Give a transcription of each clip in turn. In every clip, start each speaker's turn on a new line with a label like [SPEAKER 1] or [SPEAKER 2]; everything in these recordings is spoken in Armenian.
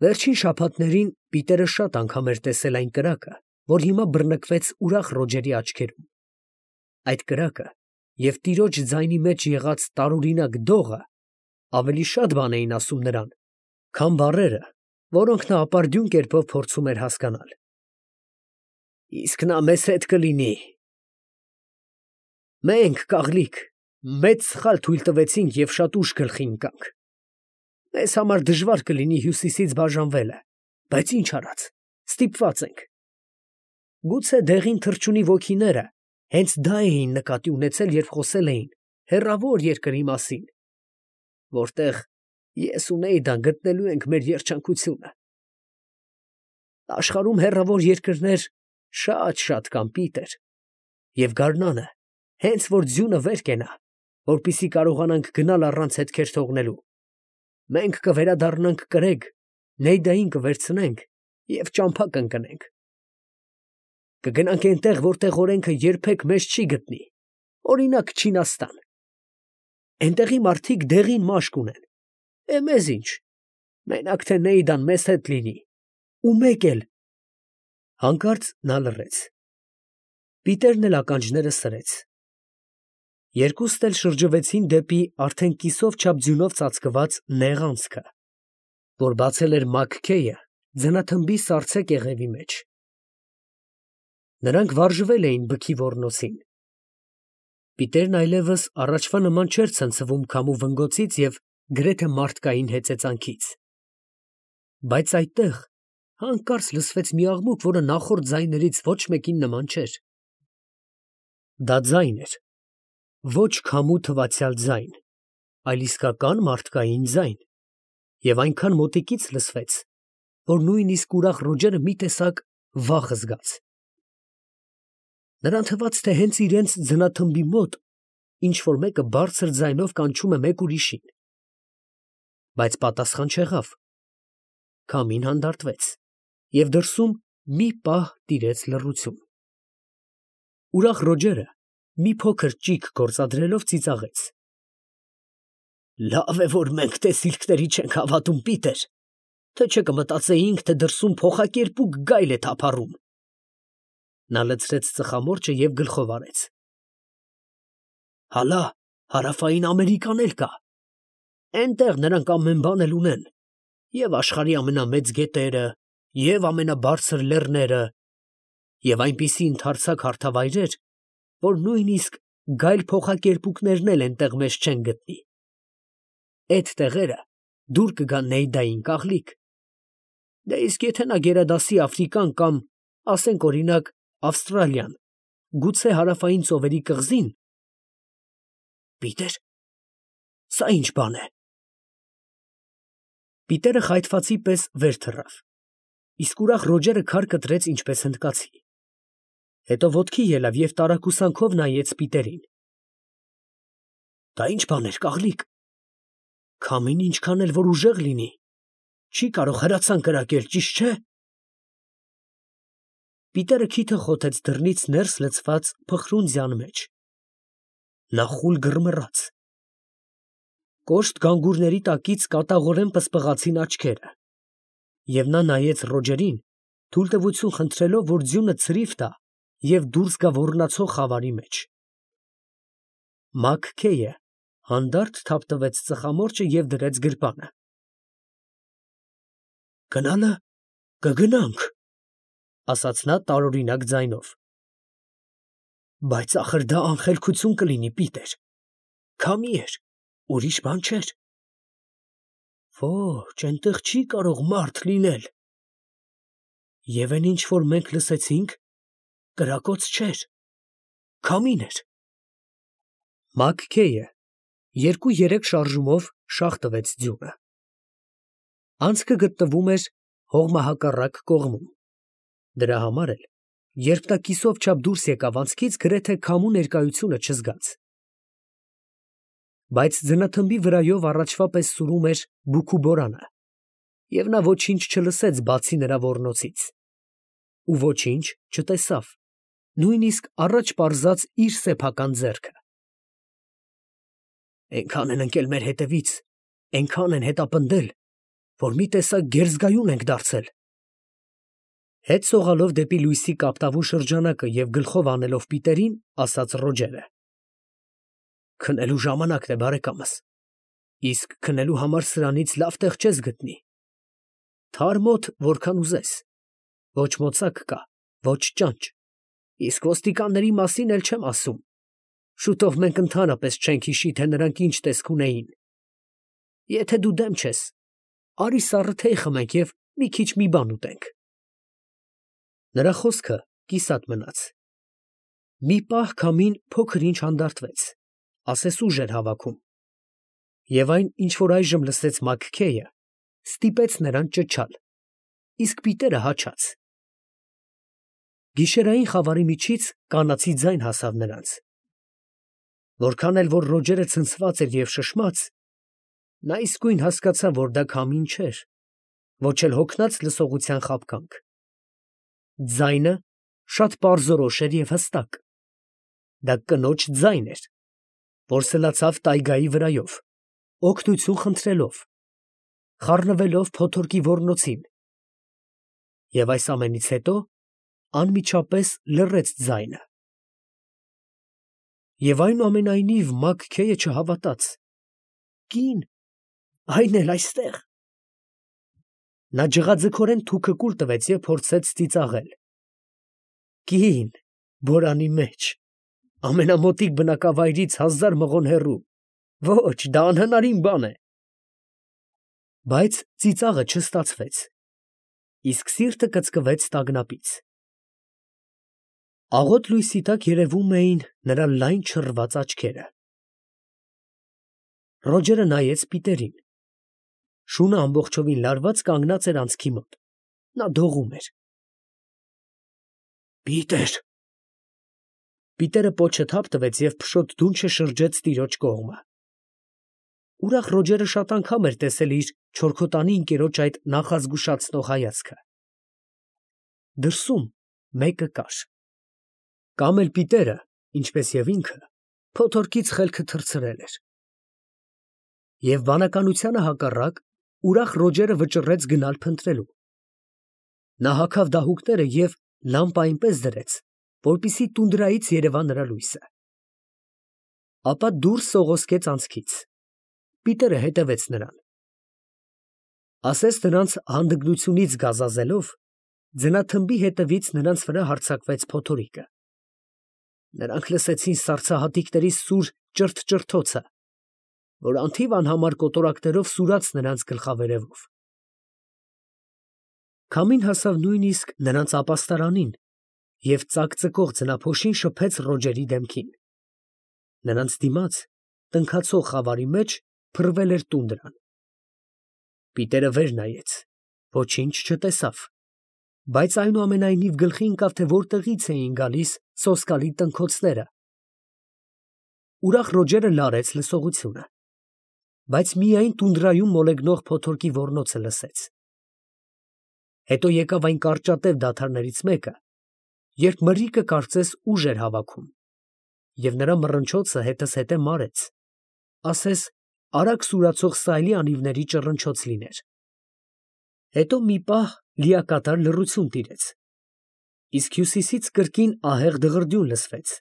[SPEAKER 1] Վերջին շաբաթներին Պիտերը շատ անգամ էր տեսել այն կրակը, որ հիմա բռնկվեց ուրախ Ռոջերի աչքերում. այդ կրակը և տիրոջ ձայնի մեջ եղած տարօրինակ դողը ավելի շատ բան էին ասում նրան, քան բառերը, որոնք նա ապարդյուն կերպով փորձում էր հասկանալ։ Իսկ նա մեզ հետ կլինի։ Մենք, կաղլիկ, մեծ սխալ թույլ տվեցինք և շատ ուշ գլխի ընկանք։ Մեզ համար դժվար կլինի հյուսիսից բաժանվելը, բայց ինչ արած, ստիպված ենք։ Գուցե դեղին թռչունի ոգիները հենց դա էին նկատի ունեցել, երբ խոսել էին հեռավոր երկրի մասին, որտեղ ես ու Նեյդան գտնելու ենք մեր երջանկությունը։ Աշխարհում հեռավոր երկրներ շատ կան, Պիտեր, և գարնանը հենց որ ձյունը վեր կենա, որպեսզի կարողանանք գնալ առանց հետքեր թողնելու, մենք կվերադառնանք կրեգ, Նեյդային կվերցնենք և ճամփա կընկնենք։ Կգնանք այնտեղ, որտեղ օրենքը երբեք մեզ չի գտնի, օրինակ Չինաստան։ Այնտեղի մարդիկ դեղին մաշկ ունեն, մեզ ինչ, մենակ թե Նեյդան մեզ հետ լինի, ու մեկ էլ… Հանկարծ նա լռեց։ Պիտերն էլ ականջները սրեց։ Երկուստ էլ շրջվեցին դեպի արդեն կիսով չափ ձյունով ծածկված նեղ անցքը, որ բացել էր Մաքքեյը ձնաթմբի սառցե կեղևի մեջ։ Նրանք վարժվել էին բքի ոռնոցին։ Պիտերն այլևս առաջվա նման չէր ցնցվում քամու վնգոցից և գրեթե մարդկային հեծեծանքից։ Բայց այդտեղ հանկարծ լսվեց մի աղմուկ, որը նախորդ ձայներից ոչ մեկին նման չէր։ Դա ձայն էր, ոչ քամու թվացյալ ձայն, այլ իսկական մարդկային ձայն, և այնքան մոտիկից լսվեց, որ նույնիսկ ուրախ Ռոջերը մի տեսակ վախ զգաց։ Նրան թվաց, թե հենց իրենց ձնաթմբի մոտ ինչ֊որ մեկը բարձր ձայնով կանչում է մեկ ուրիշին։ Բայց պատասխան չեղավ։ Քամին հանդարտվեց, և դրսում մի պահ տիրեց լռություն։ Ուրախ Ռոջերը մի փոքր ճիգ գործադրելով ծիծաղեց. Լավ է, որ մենք տեսիլքների չենք հավատում, Պիտեր, թե չէ կմտածեինք, թե դրսում փոխակերպուկ գայլ է թափառում։ Նա լցրեց ծխամորճը և գլխով արեց։ Հալա, Հարավային Ամերիկան էլ կա։ Էնտեղ նրանք ամեն բան էլ ունեն, և աշխարհի ամենամեծ գետերը, և ամենաբարձր լեռները, և այնպիսի ընդարձակ հարթավայրեր, որ նույնիսկ գայլ փոխակերպուկներն էլ էնտեղ մեզ չեն գտնի։ Էդ տեղերը դուր կգան Նեյդային, կաղլիկ։ Դե իսկ եթե նա գերադասի Աֆրիկան կամ, ասենք օրինակ, Ավստրալիան, գուցե Հարավային ծովերի կղզի՞ն… Պիտեր, սա ի՞նչ բան է։ Պիտերը խայթվածի պես վեր թռավ, իսկ ուրախ Ռոջերը քար կտրեց ինչպես հնդկացի։ Հետո ոտքի ելավ և տարակուսանքով նայեց Պիտերին։ Դա ի՞նչ բան էր, կաղլիկ։ Քամին ինչքան էլ որ ուժեղ լինի, չի կարող հրացան կրակել, ճիշտ չէ։ Պիտերը քիթը խոթեց դռնից ներս լցված փխրուն ձյան մեջ։ Նա խուլ գրմռաց։ Կոշտ գանգուրների տակից կատաղորեն պսպղացին աչքերը, և նա նայեց Ռոջերին, թույլտվություն խնդրելով, որ ձյունը ցրիվ տա և դուրս գա ոռնացող խավարի մեջ։ Մաքքեյը հանդարտ թափտվեց ծխամորճը և դրեց գրպանը։ Գնալը կգնանք, ասաց նա տարօրինակ ձայնով։ Բայց ախր դա անխելքություն կլինի, Պիտեր, քամի էր, ուրիշ բան չէր։ Ոչ, այնտեղ չի կարող մարդ լինել։ Եվ այն ինչ որ մենք լսեցինք, կրակոց չէր, քամին էր։ Մաքքեյը 2-3 շարժումով շաղ տվեց ձյունը։ Անցքը գտնվում էր հողմահակառակ կողմում։ Դրա համար էլ, երբ նա կիսով չափ դուրս եկավ անցքից, գրեթե քամու ներկայությունը չզգաց։ Բայց ձնաթմբի վրայով առաջվա պես սուրում էր բուքու բորանը, և նա ոչինչ չլսեց, բացի նրա ոռնոցից, ու ոչինչ չտեսավ, նույնիսկ առաջ պարզած իր սեփական ձեռքը։ Էնքան են ընկել մեր հետևից, էնքան են հետապնդել, որ մի տեսակ գերզգայուն ենք դարձել։ Հետ սողալով դեպի լույսի կապտավուն շրջանակը և գլխով անելով Պիտերին, ասաց Ռոջերը. քնելու ժամանակն է, բարեկամս, իսկ քնելու համար սրանից լավ տեղ չես գտնի։ Թարմոտ, որքան ուզես, ոչ մոծակ կա, ոչ ճանճ, իսկ ոստիկանների մասին էլ չեմ ասում։ Շուտով մենք ընդհանրապես չենք հիշի, թե նրանք ինչ տեսք ունեին։ Եթե դու դեմ չես, արի սառը թեյ խմենք և մի քիչ մի բան ուտենք։ Նրա խոսքը կիսատ մնաց։ Մի պահ քամին փոքր ինչ հանդարտվեց, ասես ուժ էր հավաքում, և այն, ինչ որ այժմ լսեց Մաքքեյը, ստիպեց նրան ճչալ, իսկ Պիտերը հաչաց։ Գիշերային խավարի միջից կանացի ձայն հասավ նրանց։ Որքան էլ որ Ռոջերը ցնցված էր և շշմած, նա իսկույն հասկացավ, որ դա քամին չէր, ոչ էլ հոգնած լսողության խաբկանք։ Ձայնը շատ պարզորոշ էր և հստակ։ Դա կնոջ ձայն էր, որ սլացավ տայգայի վրայով, օգնություն խնդրելով, խառնվելով փոթորկի ոռնոցին, և այս ամենից հետո անմիջապես լռեց ձայնը։ Եվ այնուամենայնիվ Մաքքեյը չհավատաց. «Կին, այն էլ այստեղ»։ Նա ջղաձգորեն թուքը կուլ տվեց և փորձեց ծիծաղել։ «Կին, բորանի մեջ, ամենամոտիկ բնակավայրից 1000 մղոն հեռու, ոչ, դա անհնարին բան է»։ Բայց ծիծաղը չստացվեց, իսկ սիրտը կծկվեց տագնապից։ Աղոտ լույսի տակ երևում էին նրա լայն չռված աչքերը։ Ռոջերը նայեց Պիտերին։ Շունը ամբողջովին լարված կանգնած էր անցքի մոտ։ Նա դողում էր։ Պիտեր… Պիտերը պոչը թափ տվեց և փշոտ դունչը շրջեց տիրոջ կողմը։ Ուրախ Ռոջերը շատ անգամ էր տեսել իր չորքոտանի ընկերոջ այդ նախազգուշացնող հայացքը։ Դրսում մեկը կար։ Կամ էլ Պիտերը, ինչպես և ինքը, փոթորկից խելքը թռցրել էր։ Եվ բանականությանը հակառակ, ուրախ Ռոջերը վճռեց գնալ փնտրելու։ Նա հագավ դահուկները և լամպը այնպես դրեց, որպեսզի տունդրայից երևա նրա լույսը։ Ապա դուրս սողոսկեց անցքից։ Պիտերը հետևեց նրան։ Ասես նրանց հանդգնությունից գազազելով, ձնաթմբի հետևից նրանց վրա հարձակվեց փոթորիկը։ Նրանք լսեցին սառցահատիկների սուր ճրթճրթոցը, որ անթիվ անհամար կոտորակներով սուրաց նրանց գլխավերևով։ Քամին հասավ նույնիսկ նրանց ապաստարանին և ծակծկող ձնափոշին շփեց Ռոջերի դեմքին։ Նրանց դիմաց, տնքացող խավարի մեջ, փռվել էր տունդրան։ Պիտերը վեր նայեց, ոչինչ չտեսավ, բայց այնուամենայնիվ գլխի ընկավ, թե որտեղից էին գալիս սոսկալի տնքոցները։ Ուրախ Ռոջերը լարեց լսողությունը, բայց միայն տունդրայում մոլեգնող փոթորկի ոռնոցը լսեց։ Հետո եկավ այն կարճատև դադարներից մեկը, երբ մրրիկը կարծես ուժ էր հավաքում, և նրա մռնչոցը հետզհետե մարեց, ասես արագ սուրացող սայլի անիվների ճռնչոց լիներ։ Հետո մի պահ լիակատար լռություն տիրեց, իսկ հյուսիսից կրկին ահեղ դղրդյուն լսվեց,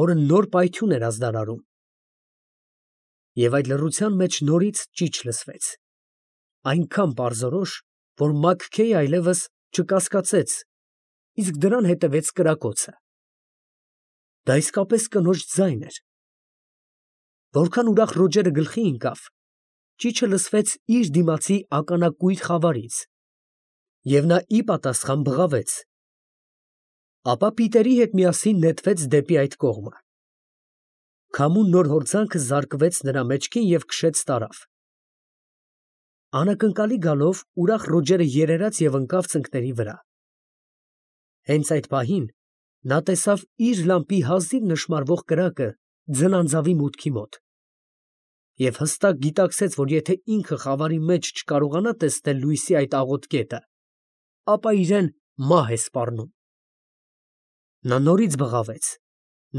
[SPEAKER 1] որը նոր պայթյուն էր ազդարարում։ Եվ այդ լռության մեջ նորից ճիչ լսվեց, այնքան պարզորոշ, որ Մաքքեյը այլևս չկասկածեց, իսկ դրան հետևեց կրակոցը։ Դա իսկապես կնոջ ձայն էր։ Որքան ուրախ Ռոջերը գլխի ընկավ, ճիչը լսվեց իր դիմացի ականակույր խավարից, և նա ի պատասխան բղավեց։ Ապա Պիտերի հետ միասին նետվեց դեպի այդ կողմը։ Քամու նոր հորձանքը զարկվեց նրա մեջքին և քշեց տարավ։ Անակնկալի գալով ուրախ Ռոջերը երերաց և ընկավ ծնկների վրա։ Հենց այդ պահին նա տեսավ իր լամպի հազիվ նշմարվող կրակը ձնանձավի մուտքի մոտ և հստակ գիտակցեց, որ եթե ինքը խավարի մեջ չկարողանա տեսնել լույսի այդ աղոտ կետը, ապա իրան մահ է սպառնում։ Նա նորից բղավեց,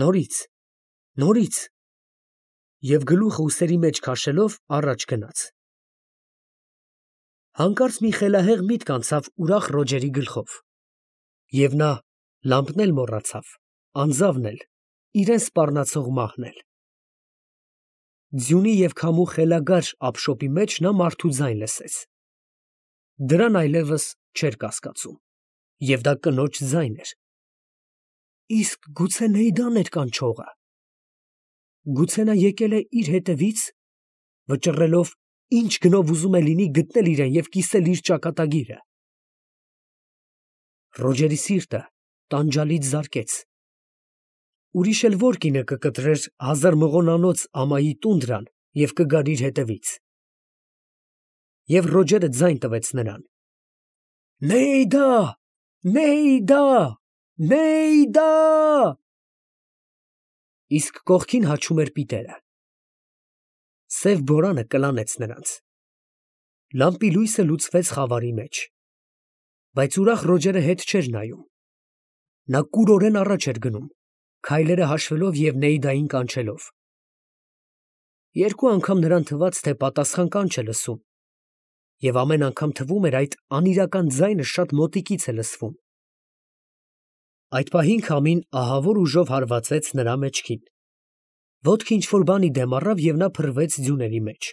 [SPEAKER 1] նորից, և գլուխը ուսերի մեջ քաշելով առաջ գնաց։ Հանկարծ մի խելահեղ միտք անցավ ուրախ Ռոջերի գլխով, և նա լամպն էլ մոռացավ, անձավն էլ, իրան սպառնացող մահն էլ։ Ձյունի և քամու խելագար ափշոպի մեջ նա մարդու ձայն լսեց. դրան այլևս չէր կասկածում, և դա կնոջ ձայն էր։ Իսկ գուցե Նեյդան էր կանչողը։ Գուցե նա եկել է իր հետևից, վճռելով ինչ գնով ուզում է լինի գտնել իրան և կիսել իր ճակատագիրը։ Ռոջերի սիրտը տանջալից զարկեց։ Ուրիշ էլ ո՞ր կինը կկտրեր հազար մղոնանոց ամայի տունդրան և կգար իր հետևից։ Եվ Ռոջերը ձայն տվեց նրան. «Նեյդա, Նեյդա, Նեյդա»։ Իսկ կողքին հաչում էր պիտերը։ Սև բորանը կլանեց նրանց։ Լամպի լույսը լուծվեց խավարի մեջ։ Բայց ուրախ Ռոջերը հետ չէր նայում։ Նա կուրորեն առաջ էր գնում, քայլերը հաշվելով և Նեյդային կանչելով։ Երկու անգամ նրան թվաց, թե պատասխան կանչ է լսում, և ամեն անգամ թվում էր այդ անիրական ձայնը շատ մոտիկից է լսվում։ Այդ պահին քամին ահավոր ուժով հարվածեց նրա մեջքին։ Ոտքը ինչ֊որ բանի դեմ առավ, և նա փռվեց ձյուների մեջ։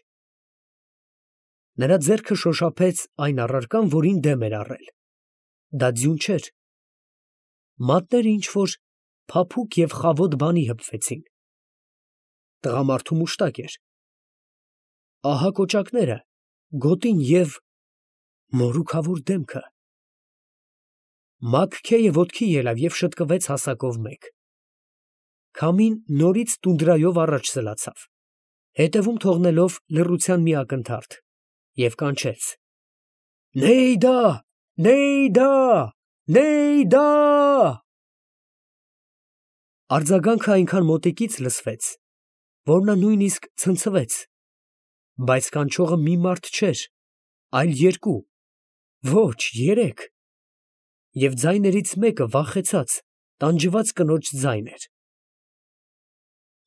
[SPEAKER 1] Նրա ձեռքը շոշափեց այն առարկան, որին դեմ էր առել։ Դա ձյուն չէր։ Մատները ինչ֊որ փափուկ և խավոտ բանի հպվեցին։ Տղամարդու մուշտակ էր։ Ահա կոճակները, գոտին և մորուքավոր դեմքը։ Մագք-Քեյը ոտքի ելավ և շտկվեց հասակով մեկ։ Քամին նորից տունդրայով առաջ սլացավ, հետևում թողնելով լռության մի ակնթարթ, և կանչեց. «Նեյդա, Նեյդա, Նեյդա»։ Արձագանքը այնքան մոտիկից լսվեց, որ նա նույնիսկ ցնցվեց, բայց կանչողը մի մարդ չէր, այլ երկու, ոչ, երեք, և ձայներից մեկը վախեցած, տանջված կնոջ ձայն էր։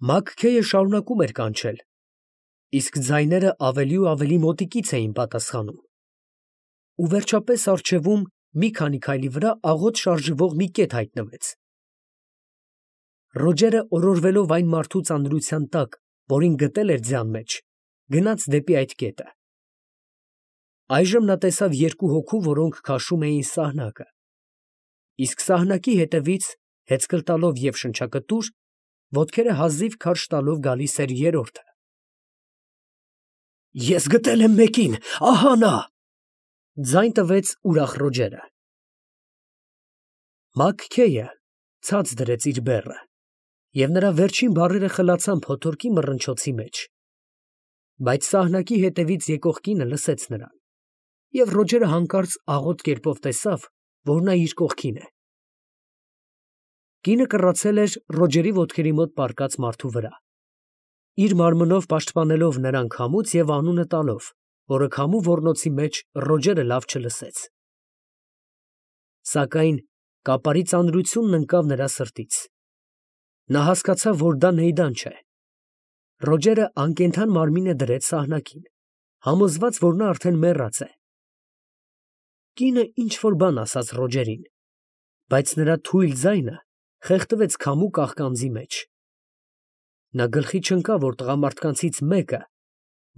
[SPEAKER 1] Մագք֊Քեյը շարունակում էր կանչել, իսկ ձայները ավելի ու ավելի մոտիկից էին պատասխանում։ Ու վերջապես առջևում, մի քանի քայլի վրա, աղոտ շարժվող մի կետ հայտնվեց։ Ռոջերը, օրորվելով այն մարդու ծանրության տակ, որին գտել էր ձյան մեջ, գնաց դեպի այդ կետը։ Այժմ նա տեսավ երկու հոգու, որոնք քաշում էին սահնակը, իսկ սահնակի հետևից, հեծկլ տալով և շնչակտուր, ոտքերը հազիվ քարշ տալով գալիս էր երրորդը։ «Ես գտել եմ մեկին, ահա նա», ֊ ձայն տվեց ուրախ Ռոջերը։ Մագք֊Քեյը ցած դրեց իր բեռը, և նրա վերջին բառերը խլացան փոթորկի մռնչոցի մեջ։ Բայց սահնակի հետևից եկող կինը լսեց նրան, և Ռոջերը հանկարծ աղոտ կերպով տեսավ, որ նա իր կողքին է։ Կինը կռացել էր Ռոջերի ոտքերի մոտ պառկած մարդու վրա, իր մարմնով պաշտպանելով նրան քամուց և անունը տալով, որը քամու ոռնոցի մեջ Ռոջերը լավ չլսեց։ Սակայն կապարի ծանրությունն ընկավ նրա սրտից։ Նա հասկացավ, որ դա Նեյդան չէ։ Ռոջերը անկենդան մարմինը դրեց սահնակին, համոզված, որ նա արդեն մեռած է։ Կինը ինչ֊որ բան ասաց Ռոջերին, բայց նրա թույլ ձայնը խեղդվեց քամու կաղկանձի մեջ։ Նա գլխի չընկավ, որ տղամարդկանցից մեկը,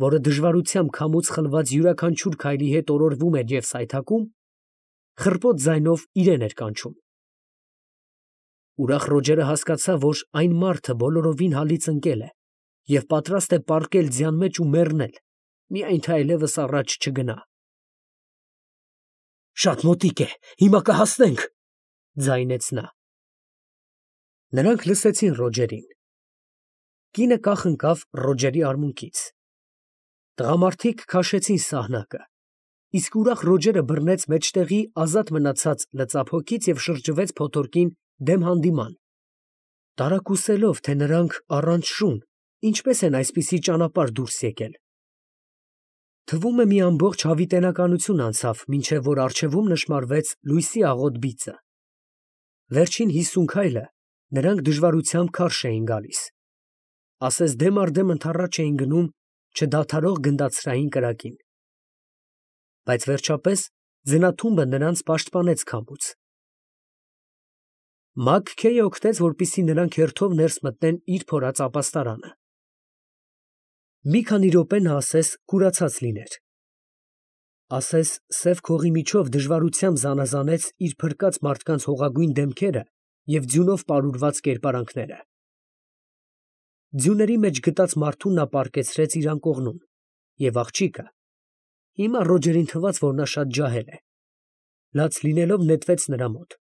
[SPEAKER 1] որը դժվարությամբ քամուց խլված յուրաքանչյուր քայլի հետ օրորվում էր և սայթաքում, խռպոտ ձայնով իրան էր կանչում։ Ուրախ Ռոջերը հասկացավ, որ այն մարդը բոլորովին հալից ընկել է և պատրաստ է պառկել ձյան մեջ ու մեռնել, միայն թե այլևս առաջ չգնա։ «Շատ մոտիկ է, հիմա կհասնենք», ֊ ձայնեց նա։ Նրանք լսեցին Ռոջերին։ Կինը կախ ընկավ Ռոջերի արմունկից։ Տղամարդիկ քաշեցին սահնակը, իսկ ուրախ Ռոջերը բռնեց մեջտեղի ազատ մնացած լծափ հոգից և շրջվեց փոթորկին դեմ հանդիման, տարակուսելով, թե նրանք առանց շուն ինչպես են այսպիսի ճանապարհ դուրս եկել։ Թվում է մի ամբողջ հավիտենականություն անցավ, մինչև որ առջևում նշմարվեց լույսի աղոտ բիծը։ Վերջին 50 քայլը նրանք դժվարությամբ քարշ էին գալիս, ասես դեմ առ դեմ ընդառաջ էին գնում չդադարող գնդացրային կրակին։ բայց վերջապես ձնաթումբը նրանց պաշտպանեց քամուց։ Մաքքեյը օգնեց, որպեսզի նրանք հերթով ներս մտնեն իր փորած ապաստարանը։ Մի քանի րոպե նա ասես կուրացած լիներ։ Ասես սև քողի միջով դժվարությամբ զանազանեց իր փրկած մարդկանց հողագույն դեմքերը և ձյունով պարուրված կերպարանքները։ Ձյուների մեջ գտած մարդուն նա պառկեցրեց իր անկողնում, և աղջիկը, հիմա Ռոջերին թվաց, որ նա շատ ջահել է, լաց լինելով նետվեց նրա մոտ։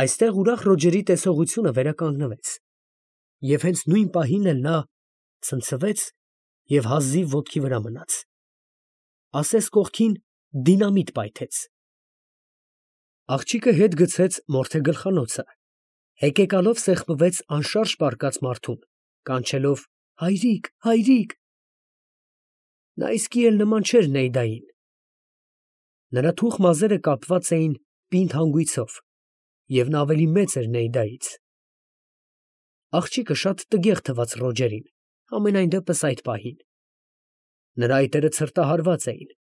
[SPEAKER 1] Այստեղ ուրախ Ռոջերի տեսողությունը վերականգնվեց, և հենց նույն պահին էլ նա ցնցվեց և հազիվ ոտքի վրա մնաց, ասես կողքին դինամիտ պայթեց։ Աղջիկը հետ գցեց մորթե գլխանոցը, հեկեկալով սեղմվեց անշարժ պառկած մարդուն, կանչելով. «Հայրիկ, հայրիկ»։ Նա իսկի էլ նման չէր Նեյդային։ Նրա թուխ մազերը կապված էին պինդ հանգույցով, և նա ավելի մեծ էր Նեյդայից։ Աղջիկը շատ տգեղ թվաց Ռոջերին, համենայն դեպս այդ պահին։ Նրա այտերը ցրտահարված էին,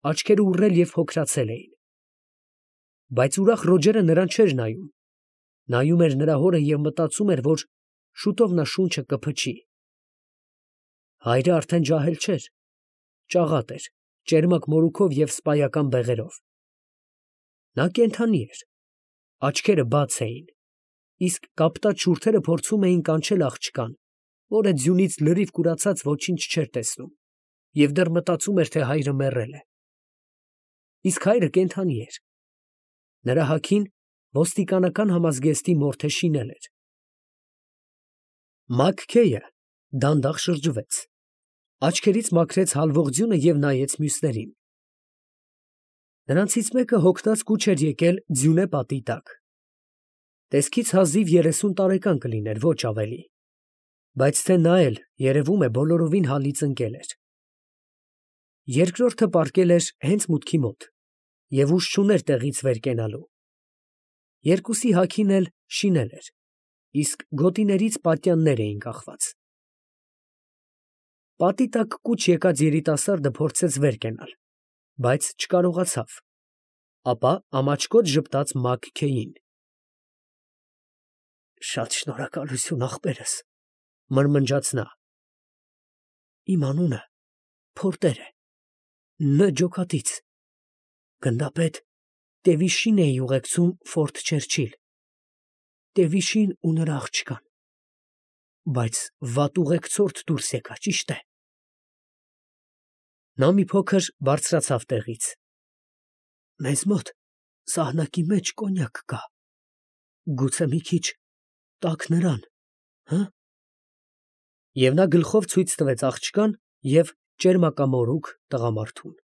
[SPEAKER 1] աչքերը ուռել և հոգրացել էին։ Բայց ուրախ Ռոջերը նրան չէր նայում, նայում էր նրա հորը և մտածում էր, որ շուտով նա շունչը կփչի։ Հայրը արդեն ջահել չէր, ճաղատ էր, ճերմակ մորուքով և սպայական բեղերով։ Նա կենդանի էր, աչքերը բաց էին, իսկ կապտած շուրթերը փորձում էին կանչել աղջկան, որը ձյունից լրիվ կուրացած ոչինչ չէր տեսնում և դեռ մտածում էր, թե հայրը մեռել է։ Իսկ հայրը կենդանի էր։ Նրա հագին ոստիկանական համազգեստի մորթե շինել էր։ Մաքքեյը դանդաղ շրջվեց, աչքերից մաքրեց հալվող ձյունը և նայեց մյուսներին։ Նրանցից մեկը հոգնած կուչ էր եկել ձյունե պատի տակ։ Տեսքից հազիվ 30 տարեկան կլիներ, ոչ ավելի, բայց թե նա էլ, երևում է, բոլորովին հալից ընկել էր։ Երկրորդը պառկել էր հենց մուտքի մոտ և ուժ չուներ տեղից վեր կենալու։ Երկուսի հագին էլ շինել էր, իսկ գոտիներից պատյաններ էին կախված։ Պատի տակ կուչ եկած երիտասարդը փորձեց վեր կենալ, բայց չկարողացավ, ապա ամաչկոտ ժպտաց Մաքքեյին։ «Շատ շնորհակալություն, ախպերս», մրմնջաց նա։ «Իմ անունը Փորտեր է, Ն. ջոկատից, գնդապետ Տևիշին էի ուղեկցում Ֆորտ Չերչիլ, Տևիշին ու նրա աղջկան, բայց վատ ուղեկցորդ դուրս եկա, ճիշտ է»։ Նա մի փոքր բարձրացավ տեղից։ «Մեզ մոտ սահնակի մեջ կոնյակ կա, գուցե մի քիչ տաք նրան, հը՞։ Եվ նա գլխով ցույց տվեց աղջկան և ճերմակամորուք տղամարդուն։